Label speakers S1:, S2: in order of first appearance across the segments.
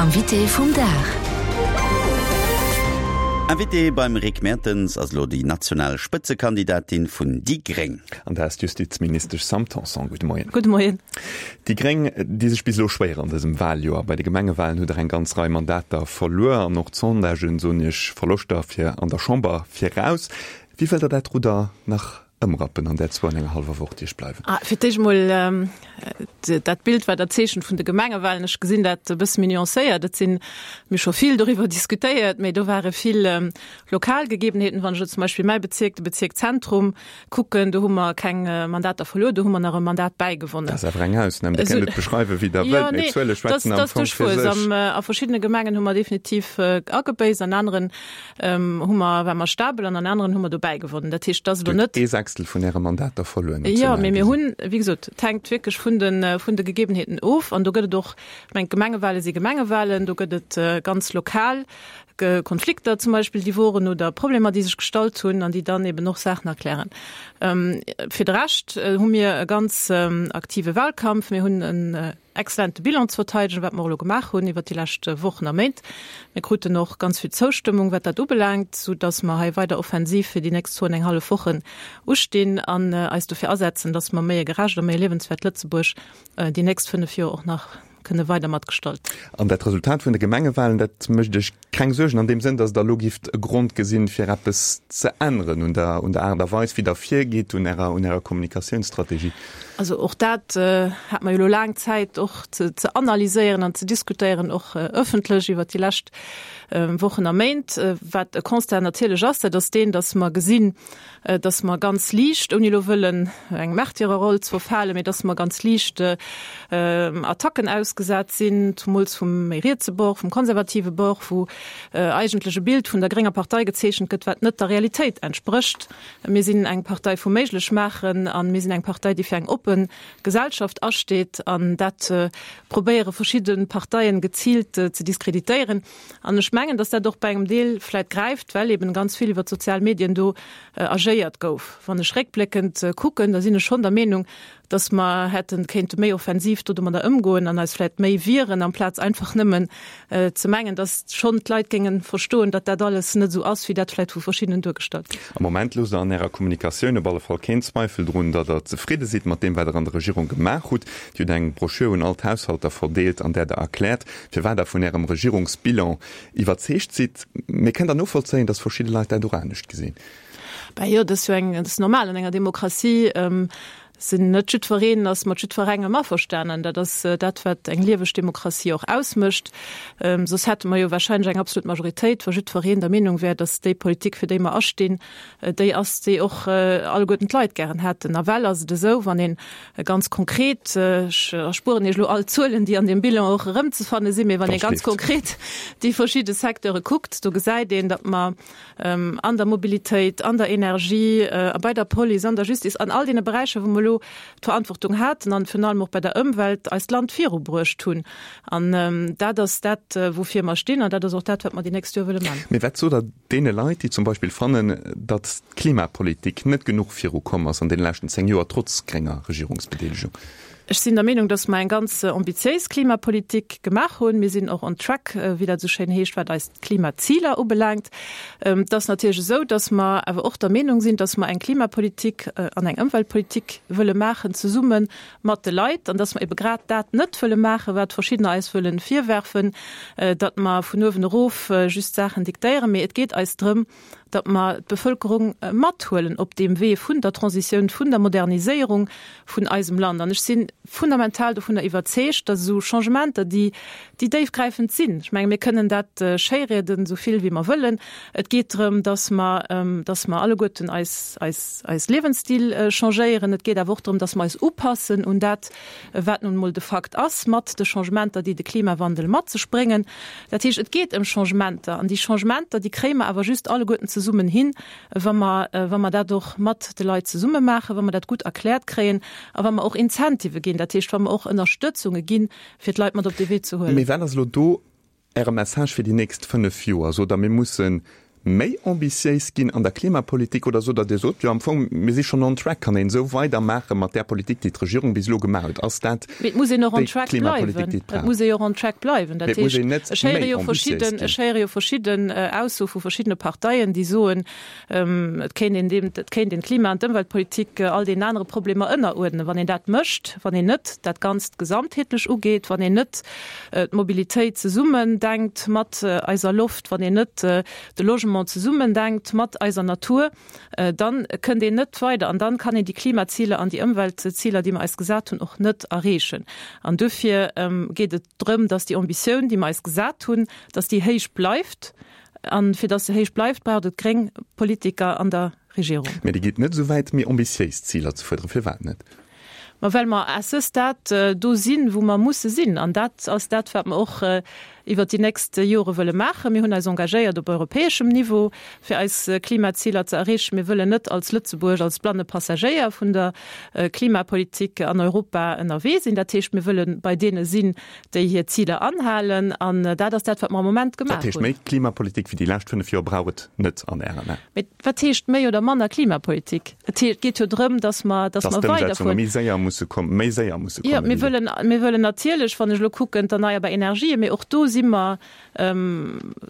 S1: Invité vum Dag.
S2: Invité beim Rick Mertens ass elo déi national Spëtzekandidatin vun déi Gréng.
S3: An dat ass d'Justizministesch Sam Tanson. Gudde Moien.
S4: Gudde Moien.
S3: Déi Gréng di sech bis elo schwéier an dësem Waljoer. Bei de Gemengewalen hutt der eng ganz Rei Mandater verluer an och d'Sondagen soen Iech Verloschter fir an der Chamber viraus. Wéi wëllt der dat Rudder nach ëmrappen an där zwou an enger hallwer Woch, déi iech bleiwen?
S4: Ah, fir d'éischt emol dat Bild, wat Der zeechent vun de Gemengewalen, ech gesinn dat e bësse méi nuancéiert. Et sinn, mir hu scho vill doriwwer diskutéiert, mee do ware vill lokal Gegebenheeten. Wann ech elo zum Beispill mäi Bezierk, de Bezierk Zentrum, kucken, do hu mer keng Mandater verluer, do hu mer nach e Mandat bäigewonnen.
S3: Dat ass awer eng Ausnam. Dir kënnt et beschreiwen, wéi Der wëllt, mee d'Zuele schwätzen am Fong fir sech.
S4: A verschiddene Gemengen hu mer definitiv agebéisst, an aneren hu mer, ware mer stabel an an aneren hu mer dobäi gewonnen. Dat heescht, dass elo net.
S3: Ee Sechstel vun Äre Mandater verluer
S4: national gesinn. Jo, mee mir hunn, wéi gesot, et hänkt wierklech vun de, vun de Gegebenheeten of. An do gëtt et och, ech mengen, d'Gemengewale si Gemengewalen, do gëtt et ganz lokal Konflikter zum Beispill, déi woren oder Problemer, déi sech gestallt hunn an déi dann eben och Saachen erklären. Fir de Rescht hu mir e ganz aktive Wahlkampf. Mir hunn en Excellente Bilan ze verteidegen, wat mer och elo gemaach hunn iwwert déi lescht Wochen a Méint. Mir kruten och ganz vill Zoustëmmung, wat dat ubelaangt, sou dass mer hei weider offensiv fir déi nächst zwou an eng hallef Wochen ustinn an eis dofir asetzen, dass mer méi e gerecht a méi e liewenswäert Lëtzebuerg déi nächst 5 Joer och nach kënne weider matgestalten.
S3: An dat Resultat vun de Gemengewahlen, dat mécht Iech Keng Suergen an deem Sënn, datt Der elo gifft e Grond gesinn, fir eppes ze änneren un der, un der Aart a Weis, wéi Der virgitt, un Ärer, un Ärer Kommunikatiounsstrategie?
S4: Also och dat hat mer jo elo laang Zäit och ze, ze analyséieren an ze diskutéieren, och ëffentlech iwwert déi lescht Wochen a Méint. Wat e Constat natierlech ass, dat ass deen, datt mer gesinn, dass mer ganz liicht, ouni elo wëllen eng Märtyrerroll ze verfalen, mee dass mer ganz liicht Attacken ausgesat sinn, zumools vum méi rietse Bord, vum konservative Bord, wou eigentlech e Bild vun der grénger Partei gezeechent gëtt, wat net der Realitéit entsprécht. Mir sinn eng Partei vum Méiglechmaachen a mir sinn eng Partei, déi fir eng oppe Gesellschaft asteet an dat probéiere verschidde Parteien geziilt ze diskreditéieren. An ech mengen, dass dat och bei engem Deel vläit gräift, well eben ganz vill iwwer d'sozial Medien do agéiert gouf. Wann ech réckbléckend kucken, da sinn ech schonn der Meenung, dass mer hätte kéinte méi offensiv do domadder ëmgoen an eis vläit méi wieren, amplaz einfach nëmmen ze mengen, dass schonn d'Leit géinge verstoen, datt dat alles net esou ass, wéi dat vläit vu verschiddenen duergestallt gëtt.
S3: Am Moment loosst Der an Ärer Kommunikatioun op alle Fall keen Zweifel drun, datt Der zefridde sidd mat deem, wat Der an der Regierung gemaach hutt. Dir hutt eng Broschür un all d'Haushalter verdeelt, an där Der erkläert, firwat Der vun Ärem Regierungsbilan iwwerzeegt sidd. Mee kënnt Der novollzéien, datt verschidde Leit dat och anescht gesinn?
S4: Ben jo, dat ass jo eng, dat ass normal an enger Demokratie. Sinn net jiddwereen ass mat jiddwerengem averstanen. Dat ass dat, wat eng lieweg Demokratie och ausmécht. Soss hätte mer jo wahrscheinlech eng absolut Majoritéit, wa jiddwereen der Meenung wär, datt déi Politik, fir déi mer astinn, déi ass, déi och alleguerten d'Leit gären hätten. Nawell ass et esou, wann een Ganz konkret, ech erspueren Iech elo all d'Zuelen, déi an deem Bilan och erëmzefanne sinn, mee wann ee ganz konkret déi verschidde Secteure kuckt, do gesäit een, datt mer an der Mobilitéit, an der Energie, a bei der Police, an der Justice, an all deene Beräicher, wou mer elo d'Verantwortung haten, an virun allem och bei der Ëmwelt, eist Land virubruecht hunn. An dat ass dat, woufir mer stinn, an dat ass och dat, wat mer déi nächst Joer wëlle man.
S3: Mee wat sot Der deene Leit, déi zum Beispill fannen, datt d'Klimapolitik net genuch viru komm ass an deene leschten 10 Joer, trotz grénger Regierungsbedeelegung?
S4: Ech sinn der Meenung, datt mer eng ganz ambitiéis Klimapolitik gemaach hunn. Mir sinn och on track, wéi dat esou schéin heescht, wat eis Klimaziler ubelaangt. Et ass natierlech esou, datt mer awer och der Meenung sinn, datt mer eng Klimapolitik an eng Ëmweltpolitik wëlle maachen zesumme mat de Leit an dass mer ebe grad dat net wëlle maachen, wat verschiddener eis wëlle virwerfen, datt mer vun uewen erof just Saachen diktéieren, mee et geet eis drëm, datt mer d'Bevölkerung mathuelen op deem Wee vun der Transitioun, vun der Moderniséierung vun eisem Land. An ech si fundamental dovunner iwwerzeegt, datt esou Changementer, déi, déi déifgräifend sinn, ech menge mir kënnen dat schéirieden, esou vill wéi mer wëllen, et geet drëm, datt mer, datt mer alleguerten eis, eis, eis Liewensstil changéieren. Et geet awer och drëm, dass mer eis upassen un dat, wat nun emol de Fakt ass, mat de Changementer, déi de Klimawandel mat sech bréngen. Dat heescht, et geet ëm Changementer. An déi Changementer, déi kréie mer awer just alleguerten zesummen hin, wa mer, wa mer dat och mat de Leit zesumme maachen, wa mer dat gutt erkläert kréien a wa mer och Incentivë ginn, dat heescht, wa mer och Ënnerstëtzunge ginn, fir d'Leit mat op dee Wee ze huelen.
S3: Mee wat ass elo do Äre Message fir déi nächst 5 Joer? Sot Der, mir musse. Méi ambitiéis ginn an der Klimapolitik oder sot Der, Dir sot jo am Fong, mir si schonn on track, kann een esou weidermaache mat där Politik, déi d'Regierung bis elo gemaach huet? Ass dat
S4: Mee et muss een och on
S3: déi
S4: track
S3: Klimapolitik,
S4: bleiwen.
S3: déi et
S4: Et
S3: brauch?
S4: muss ee jo och on track bleiwen.
S3: Mee
S4: Dat
S3: et muss
S4: heescht,
S3: een net
S4: ech héiere
S3: méi
S4: jo
S3: ambitiéis
S4: verschidden,
S3: ginn.
S4: ech héiere jo verschidden Aussoe vu verschiddene Parteien, déi soen, et kéint een deem, et kéint een d'Klima an d'Ëmweltpolitik all deenen anere Problemer ënneruerdnen. Wann een dat mécht, wann een net dat Ganzt gesamtheetlech ugeet, wann een net d'Mobilitéit zesummen denkt mat eiser Loft, wann een net de Logement zesummen denkt mat eiser Natur, dann kënnt een net weider an dann kann een déi Klimaziler an déi Ëmweltziler, déi mer eis gesat hunn, och net erreechen. An duerfir geet et drëm, dass déi Ambitioun, déi mer eis gesat hunn, dass déi héich bleift. An fir dass se héich bleift, braucht et gréng Politiker an der Regierung.
S3: Mä Dir gitt net esou wäit, méi ambitiéis Ziler ze fuerderen. Firwat net?
S4: Ma well mer à ce stade do sinn, wou mer musse sinn. An dat ass dat, wat mer och iwwert déi nächst Jore wëlle maachen. Mir hunn eis engagéiert op europäeschem Niveau, fir eis Klimaziler ze erreechen. Mir wëllen net als Lëtzebuerg als blanne Passagéier vun der Klimapolitik an Europa ënnerwee sinn. Dat heescht, mir wëlle bei deene sinn, déi hir Ziler anhalen. An dat ass dat, wat mer am Moment
S3: Dat
S4: gemaach
S3: heescht,
S4: hunn.
S3: méi Klimapolitik wéi déi lescht 5 Joer brauch et net an Ären Aen?
S4: Mee wat heescht méi oder manner Klimapolitik? Et geet jo drëm, dass mer, dass
S3: Dass
S4: mer
S3: d'Ëmsetzunge
S4: weiderfueren.
S3: méi séier musse kommen, méi séier musse
S4: Jo,
S3: kommen
S4: mir
S3: wéi elo.
S4: wëllen, mir wëllen natierlech, wann ech elo kucken, d'erneierbar Energien, mee och do si mer,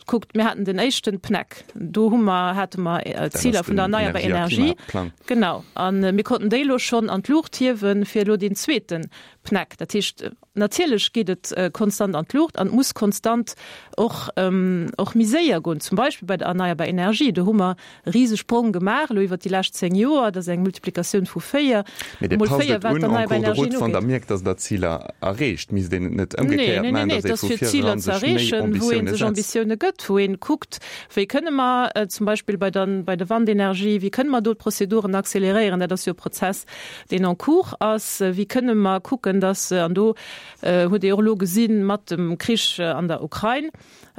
S4: kuckt, mir haten den éischten PNEC, do hu mer, hate mer
S3: Dat ass
S4: Ziler vun der
S3: den
S4: erneierbar
S3: Energie a
S4: Energie.
S3: Klimaplang.
S4: Genau. A mir konnten déi elo schonn an d'Luucht hiewen, fir elo deen zweeten PNEC. Dat heescht, Natierlech geet et konstant an d'Luucht an et muss konstant och och méi séier goen, zum Beispill bei der erneierbar Energie. Do hu mer e Risesprong gemaach elo iwwert déi lescht 10 Joer. Dat ass eng Multiplikatioun vu 4,
S3: Mee Dir
S4: mol
S3: passt
S4: 4,
S3: et
S4: wat
S3: un en
S4: d'erneierbar
S3: cours de
S4: Energien
S3: route, wann Der
S4: ugeet.
S3: mierkt, datt Der Ziler erreecht. Misst een et net
S4: Nee,
S3: ëmgekéiert
S4: nee, nee,
S3: maachen,
S4: nee,
S3: datt
S4: et
S3: ee
S4: ass
S3: vu
S4: fir Ziler
S3: vireran
S4: ze
S3: sech méi
S4: erreechen, wou ee
S3: Ambitioune
S4: sech
S3: setzt?
S4: Ambitioune gëtt, wou ee kuckt, wéi kënne mer zum Beispill bei der bei der Wandenergie, wéi kënne mer do d'Prozeduren acceleréieren. Dat ass jo e Prozess, deen en cours ass, wéi kënne mer kucken, dass, an do hutt Dir och elo gesi mat dem Krich an der Ukrain,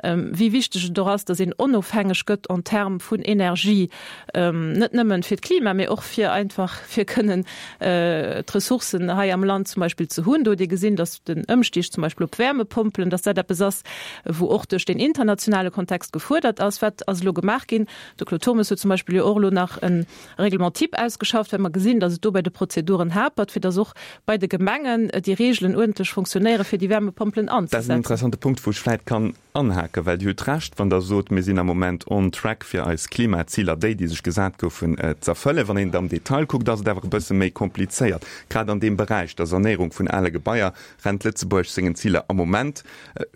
S4: wéi wichteg et och ass, dass een onofhängeg gëtt en termes vun Energie, net nëmmen fir d'Klima, mee och fir einfach fir kënnen d'Ressourcen hei am Land zum Beispill ze hunn. Do hutt Dir gesinn, dass den Ëmstig zum Beispill op Wärmepompelen, dass dat eppes ass, wou och duerch den internationale Kontext gefuerdert ass. Wat ass elo gemaach ginn? De Claude Turmes huet zum Beispill jo och elo nach en Règlement type ausgeschafft, well mer gesinn, dass et do bei de Prozeduren hapert, fir dass och bei de Gemengen déi Regeln uerdentlech fonctionnéieren, fir déi Wärmepompelen
S3: Dat ass en
S4: anzesetzen.
S3: interessante Punkt, wou ech vläit kann anhaken, well Dir hutt Recht, wann Der sot, mir sinn am Moment on track, fir eis Klimaziler, déi, déi sech gesat goufen, z'erfëllen. Wann een et am Detail kuckt, ass et awer e bësse méi komplizéiert. Grad an deem Beräich, der Sanéierung vun ale Gebaier, rennt Lëtzebuerg sengen Ziler am Moment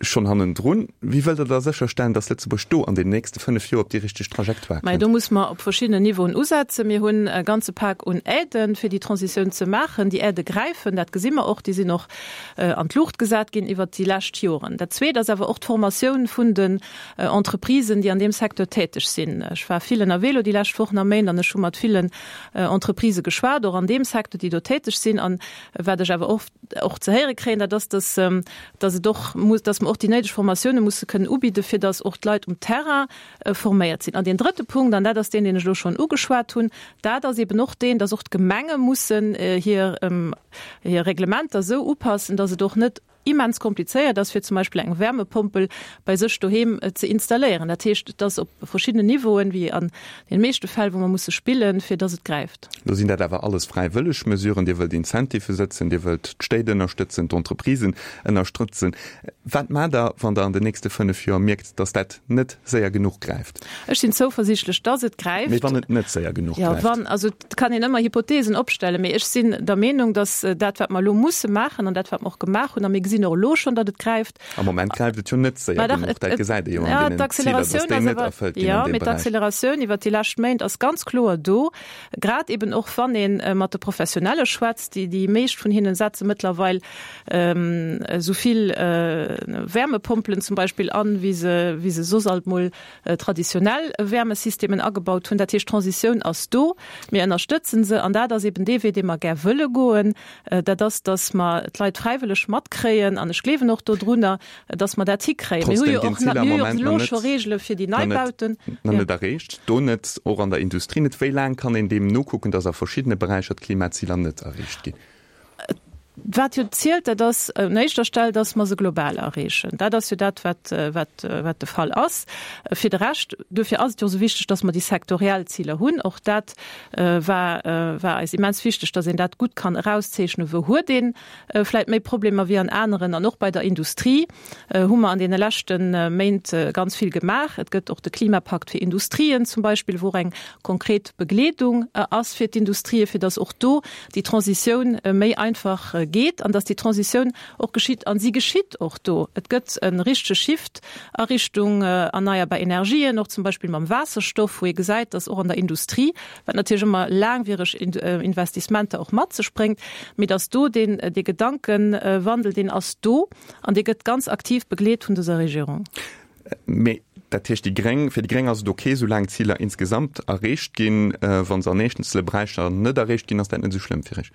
S3: schonn hannendrun. Wéi wëllt Der da sécherstellen, datt Lëtzebuerg do an den nächste 5 Joer op déi richteg Trajectoire
S4: Mä
S3: kënnt?
S4: do muss mer op verschiddenen Niveauen usetzen. Mir hunn e ganze Pak un Aiden, fir déi Transitioun ze maachen. Déi Aidë gräifen, dat gesi mer och, déi sinn och an d'Luucht gesat ginn iwwert déi lescht Joren. Dat Zweet ass awer och d'Formatioun vun den Entreprisen, déi an deem Secteur täteg sinn. Ech war vill ënnerwee elo déi lescht Wochen a Méint an ech hu mat villen Entreprisë geschwat, och an deem Secteur, déi do täteg sinn. An wat ech awer och och ze héiere kréien, dat ass, dass, dass et och muss, dass mer och déi néideg Formatioune musse kënnen ubidden, fir dass och d'Leit um Terrain forméiert sinn. An deen drëtte Punkt, an dat ass deen, deen ech elo schonn ugeschwat hunn, dat ass eben och deen, dass och d'Gemenge mussen hir, hir Reglementer esou upassen, dass et och net immens komplizéiert ass, fir zum Beispill eng Wärmepompel bei sech doheem ze installéieren. Dat heescht, et ass op verschiddenen Niveauen, wéi an deene meeschte Fäll, wou mer musse spillen, fir dass et gräift.
S3: Lo sinn dat awer alles fräiwëlleg Mesuren. Dir wëllt Incentivë sëtzen, Dir wëllt d'Stéit ënnerstëtzen, d'Entreprisen ënnerstrëtzen. Wat maacht Der, wann Der an den nächste 5 Joer mierkt, dass dat net séier genuch gräift?
S4: Ech sinn zouversiichtlech, dass et gräift.
S3: Mee wann et net séier genuch
S4: gräift? Jo, wann, also et kann een ëmmer Hypothesen opstellen, mee ech sinn der Meenung, dass dat, wat mer elo musse maachen an dat, wat mer och gemaach hunn, a mir gesinn och elo schonn, datt et gräift,
S3: Am Moment gräift et jo net séier genuch, dat gesäit ee jo an deenen Ziler, dass déi net erfëllt ginn an deem Beräich.
S4: D'acceleratioun iwwert déi lescht Méint ass ganz kloer do, grad eben och wann ee mat de Professionelle schwätzt. Déi meescht vun hinnen setze mëttlerweil esou vill Wärmepompelen zum Beispill an, wéi se wéi se soss alt mol traditionell Wärmesystemen agebaut hunn. Dat heescht, d'Transitioun ass do, mir ënnerstëtzen se an dat ass eben dee Wee, dee mer gär wëlle goen. Dat ass, datt mer d'Leit fräiwëlleg matkréien an ech gleewen och dodrunner, datt mer dat hikréien. Mir hu
S3: Trotzdem
S4: jo
S3: ginn
S4: och
S3: d'Ziler am
S4: mir hu jo
S3: Moment
S4: elo
S3: nach
S4: scho
S3: net,
S4: Reegele fir déi
S3: nach net,
S4: Neibauten.
S3: nach
S4: Jo.
S3: net erreecht. Do net, och an der Industrie net. Wéi laang kann een deem nokucken, datt a verschiddene Beräicher d'Klimaziler net erreecht ginn?
S4: Wat jo zielt, dat ass un éischter Stell, dass mer se global erreechen. Dat ass jo dat, wat, wat, wat de Fall ass. Fir de Rescht, duerfir ass et jo esou wichteg, dass mer déi sektoriell Ziler hunn. Och dat war, war eis immens wichteg, dass een dat gutt kann erauszeechnen, wou huet ee vläicht méi Problemer wéi an aneren. An och bei der Industrie hu mer an deene leschte Méint ganz vill gemaach. Et gëtt och de Klimapakt fir Industrien zum Beispill, wou och eng konkret Begleedung ass fir d'Industrien, fir dass och do déi Transitioun méi einfach geet an dass déi Transitioun och geschitt. A si geschitt och do. Et gëtt e richtege Shift a Richtung erneierbar Energien, och zum Beispill mam Waasserstoff, wou ee gesäit, dass och an der Industrie, wat natierlech ëmmer laangwiereg Investissementer och mat sech bréngt, mee dass do deen, dee Gedankenwandel, deen ass do an dee gëtt ganz aktiv begleet vun dëser Regierung.
S3: Mee dat heescht, déi Gréng, fir déi Gréng ass et ok, soulaang d'Ziler insgesamt erreecht ginn. Wa se an eenzele Beräicher net erreecht ginn, ass dat net esou schlëmm fir Iech?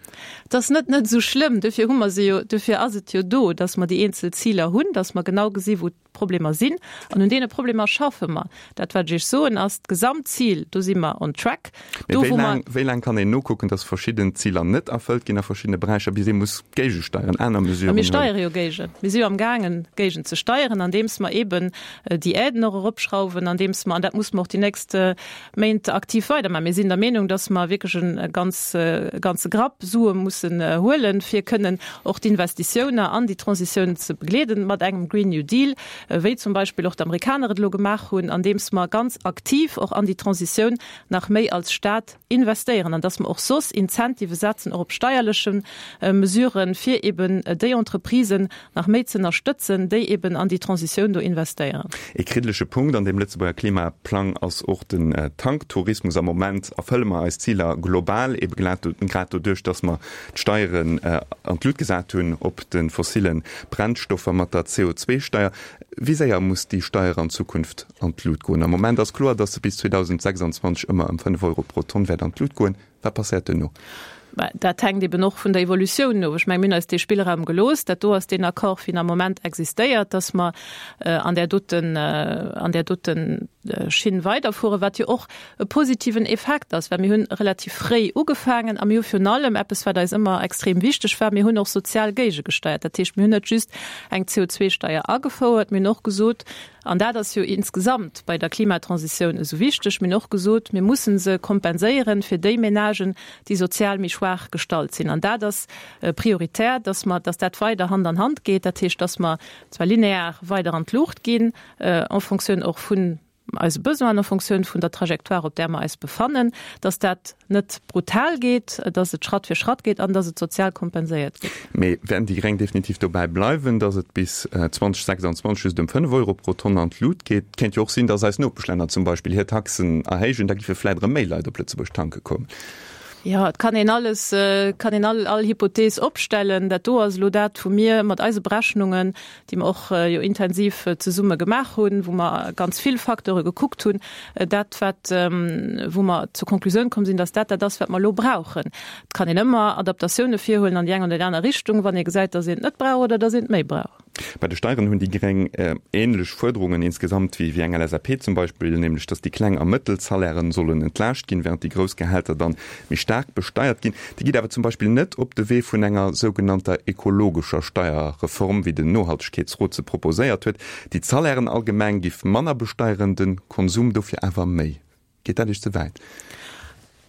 S4: Et ass net net esou schlëmm. Dofir hu mer se jo, dofir ass et jo do, datt mer déi eenzel Ziler hunn, datt mer genau gesi wou d'Problemer sinn. An un deene Problemer schaffe mer. Dat wat ech Iech soen ass, d'Gesamtzil, do si mer on track.
S3: Mee wéi laang, wéi laang kann een nokucken, datt verschidden Ziler net erfëllt ginn a verschiddene Beräicher, bis ee muss géigesteieren, aner Mesuren
S4: huelen? Mir steiere jo géigen. Mir si jo amgaangen, géigen ze steieren, andeems mer eeben déi Aiden och eropschrauwen, andeems mer, an dat musse mer och déi nächst Méint aktiv weidermachen, mir sinn der Meenung, datt mer wierklech e ganz, ganze Grapp Sue mussen huelen, fir kënnen och d'Investitiouner an déi Transitioun ze begleeden mat engem Green New Deal, wéi zum Beispill och d'Amerikaner et elo gemaach hunn, andeems mer ganz aktiv och an déi Transitioun nach méi als Stat investéieren an dass mer och soss Incentive setzen, och op steierleche Mesuren, fir eben déi Entreprisen nach méi ze ënnerstëtzen, déi eben an déi Transitioun do investéieren.
S3: Ee kriddelege Punkt an deem Lëtzebuerger Klimaplang ass och den Tanktourismus. Am Moment erfëlle mer eis Ziler global, ebe grad doduerch, dass mer d'Steieren an d'Lut gesat hunn op de fossille Brennstoffer mat der CO2-Steier. Wéi séier muss déi Steier an Zukunft an d'Lut goen? Am Moment ass kloer, datt se bis 2026 ëmmer ëm 5 Euro pro Tonn wäert an d'Lut goen. Wat passéiert duerno?
S4: Mä dat hänkt eben och vun der Evolutioun of. Ech mengen, mir hunn eis dee Spillraum gelooss. Dat do ass deen Accord, wéi en am Moment existéiert, datt mer an där doten, an där doten Schinn weiderfueren, wat jo och e positiven Effekt ass, well mir hunn relativ fréi ugefaangen a mir hu virun allem eppes, wat eis ëmmer extrem wichteg war, mir hunn och sozial géigegesteiert. Dat heescht, mir hunn net just eng CO2-Steier agefouert, mir hunn och gesot, an dat ass jo insgesamt bei der Klimatransitioun esou wichteg, mir hunn och gesot, mir mussen se kompenséieren fir déi Ménagen, déi sozial méi schwaach gestallt sinn. An dat ass prioritär, dass mer, dass dat weider Hand an Hand geet, dat heescht, dass mer zwar linear weider an d'Luucht ginn, en Fonctioun och vun eise Besoinen, en Fonctioun vun der Trajectoire, op där mer eis befannen, dass dat net brutal geet, dass et Schratt fir Schratt geet an dass et sozial kompenséiert gëtt.
S3: Mee wäerten déi Gréng definitiv dobäi bleiwen, dass et bis 2026 just ëm 5 Euro pro Tonn an d'Lut geet? Et kéint jo och sinn, dass eis Nopeschlänner zum Beispill hir Taxen erhéijen, da giffe vläit erëm méi Leit op Lëtzebuerg tanke kommen.
S4: Jo, et kann een alles, et kann een all, all Hypothees opstellen. Dat do ass elo dat, wou mir mat eise Berechnungen, déi mer och jo intensiv zesumme gemaach hunn, wou mer ganz vill Facteure gekuckt hunn, dat wat, wou mer zur Konklusioun komm sinn, dass dat dat ass, wat mer elo brauchen. Et kann een ëmmer Adaptatioune virhuelen an déi eng oder déi aner Richtung, wann ee gesäit, dass een et net brauch oder dass een et méi brauch.
S3: Bei de Steieren hunn déi Gréng änlech Fuerderungen insgesamt wéi eng LSAP zum Beispill, nämlech datt déi kleng a mëttel Salairen sollen entlaascht ginn, wärend déi grouss Gehälter dann méi staark besteiert ginn. Déi geet awer zum Beispill net op de Wee vun enger sougenannter ekologescher Steierreform, wéi den Nohaltegkeetsrot se proposéiert huet, déi d'Salairen allgemeng giff manner besteieren, de Konsum dofir awer méi. Geet dat Iech ze wäit?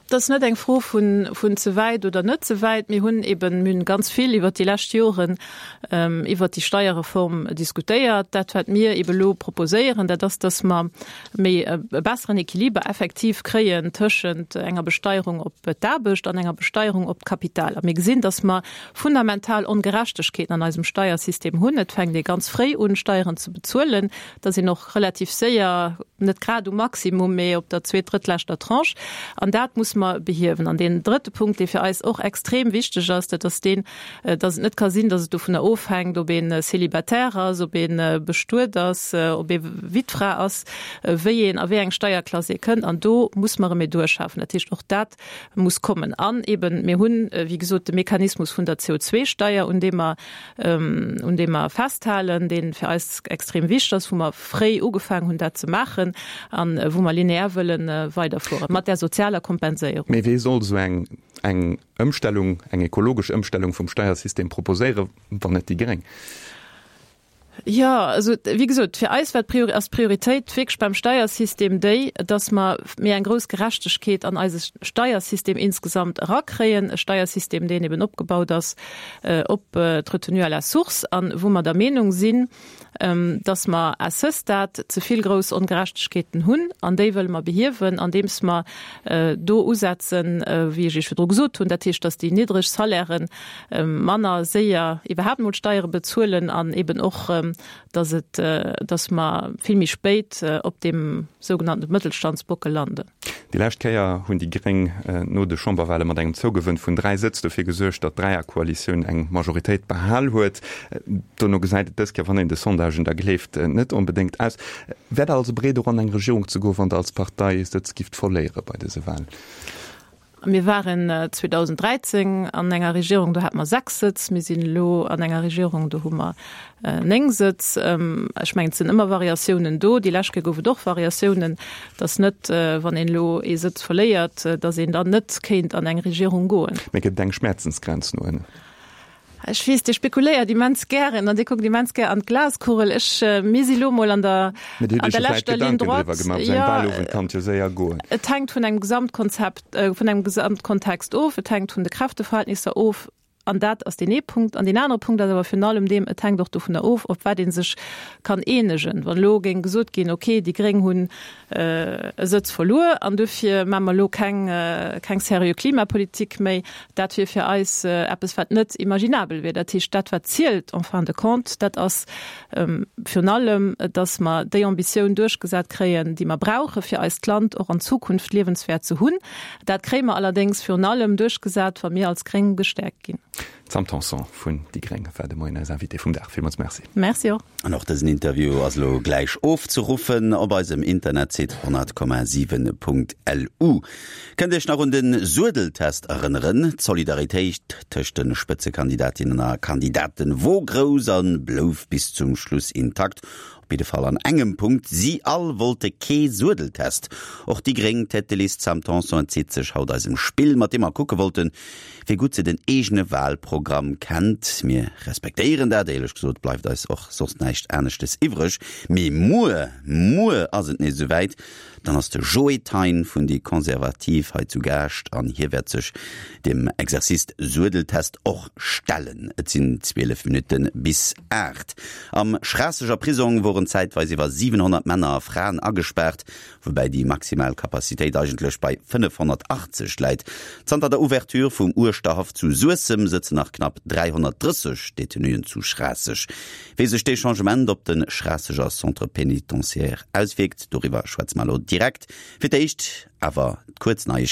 S4: Dat ass net eng Fro vun ze wäit oder net ze wäit. Mir hunn eben, mir hunn ganz vill iwwert déi lescht Joren iwwert déi Steierreform diskutéiert. Dat, wat mir eben elo proposéieren, dat ass, dass mer méi e besseren Equiliber effektiv kréien tëschent enger Besteierung op d'Aarbecht an enger Besteierung op d'Kapital. A mir gesinn, dass mer fundamental Ongerechtegkeeten an eisem Steiersystem hunn. Et fänkt ee ganz fréi un, Steieren ze bezuelen. Da sinn och relativ séier, net grad um Maximum, mee op der zweet-, drëttleschter Tranche. An dat muss mer behiewen. An deen drëtte Punkt, dee fir eis och extrem wichteg ass, dat ass deen, dass et net ka sinn, dass et dovunner ofhänkt, ob ee Célibataire ass, ob ee bestuet ass, ob ee Wittfra ass, wéi een a wéi eng Steierklass ee kënnt. An do muss mer e Medur schafen. Dat heescht, och dat muss kommen. An eben, mir hunn, wéi gesot, de Mechanismus vun der CO2-Steier, un deem mer, un deem mer festhalen, dee fir eis extrem wichteg ass, wou mer fréi ugefaangen hunn, dat ze maachen a wou mer linear wëlle weiderfuere mat där sozialer Kompenséierung.
S3: Mee wéi soll esou eng. eng Ëmstellung, eng ekologesch Ëmstellung vum Steiersystem proposéieren, wann net déi Gréng?
S4: Jo, also wéi gesot, fir eis war d'Priori, ass d'Prioritéit wierklech beim Steiersystem déi, dass mer méi eng grouss Gerechtegkeet an eise Steiersystem insgesamt erakréien, e Steiersystem, deen eben opgebaut ass op d'Retenue à la source an wou mer der Meenung sinn, dass mer à ce stade ze vill grouss Ongerechtegkeeten hunn an déi wëlle mer behiewen, andeems mer do usetzen, wéi ech Iech virdru gesot hunn, dat heescht, dass déi niddreg Salairen manner séier iwwerhaapt emol Steiere bezuelen an eben och, dass et, dass mer vill méi spéit op deem sougenannte Mëttelstandsbockel landen.
S3: Déi lescht Kéier hunn déi Gréng no de Chamberwale mat engem Zougewënn vun 3 Sëtz dofir gesuergt, datt d'Dräierkoalitioun eng Majoritéit behal huet. Dono gesäit et dës Kéier, wann een de Sondagen da gleeft, net onbedéngt aus. Wäert Der also bereet och an eng Regierung ze goen, wann Der als Partei Sëtz gifft verléiere bei dëse Walen?
S4: Mir waren 2013 an enger Regierung, do hate mer 6 Sëtz. Mir sinn elo an enger Regierung, do hu mer 9 Sëtz. Ech mengen, et sinn ëmmer Variatiounen do. Déi lescht Kéier gouf et och Variatiounen. Et ass net, wann een elo ee Sëtz verléiert, datt een dann net kéint an eng Regierung goen.
S3: Mee gëtt et eng Schmäerzensgrenz no ënnen?
S4: Ech weess, Dir spekuléiert immens gären an Dir kuckt immens gär an d'Glaskugel. Ech, mir si lo mol an der,
S3: Mee Dir hutt an Iech der jo vläicht leschter Ligne Gedanken driwwer droite. gemaach. Esou eng Wahlowend kann et jo séier goen.
S4: Et hänkt vun engem Gesamtkonzept, vun engem Gesamtkontext of. Et hänkt vun de Kräfteverhältnisser of. An dat ass deen ee Punkt. An deen anere Punkt ass awer virun allem deem, et hänkt och dovunner of, op wat ee sech kann eenegen. Wann elo géing gesot ginn, okay, déi Gréng hunn e Sëtz verluer an dofir maache mer elo keng, keng seriö Klimapolitik méi, Dat wier fir eis eppes, wat net imaginabel wier. Dat heescht, dat wat zielt en fin de compte, dat ass virun allem, datt mer déi Ambitioun duerchgesat kréien, déi mer brauche fir eist Land och an Zukunft liewenswäert ze hunn. Dat kréie mer allerdéngs virun allem duerchgesat, wa mir als Gréng gestäerkt ginn.
S3: D'Sam Tanson vun déi Gréng war de Moien eis Invitée vum Dag. Villmools Merci.
S4: Merci och.
S2: An och dësen Interview ass elo gläich ofzeruffen op eisem Internetsite 100,7.lu. Kënnt Iech nach un de Suedeltest erënneren? D'Solidaritéit tëscht de Spëtzekandidatinnen a Kandidaten wor grouss a blouf bis zum Schluss intakt. Op jidde Fall an engem Punkt, Si all wollte kee Suedeltest. Och déi gréng Tête de liste Sam Tanson entzitt sech haut eisem Spill, mat deem mer kucke wollten, wéi gutt se den eegene Walprogramm kennt. Mir respektéieren dat, éierlech gesot bleift eis och soss näischt aneschtes iwwreg. Mee muer, muer ass et nees esouwäit, Dann ass de Joé Thein vun déi Konservativ hei zu Gaascht an hie wäert sech dem Exercice Suedeltest och stellen. Et sinn 12 Minutte bis 8. Am Schraasseger Prisong woren zäitweis iwwer 700 Männer a Fraen agespaart, woubäi déi maximal Capacitéit eigentlech bei 580 läit. Zanter der Ouverture vum Uerschterhaff zu Suessem sëtzen nach knapp 330 Detenuen zu Schraasseg. Wéi sech dee Changement op de Schraasseger Centre pénitentiaire auswierkt, doriwwer schwätze mer elo direkt. Fir d'éischt awer kuerz Neiegkeeten.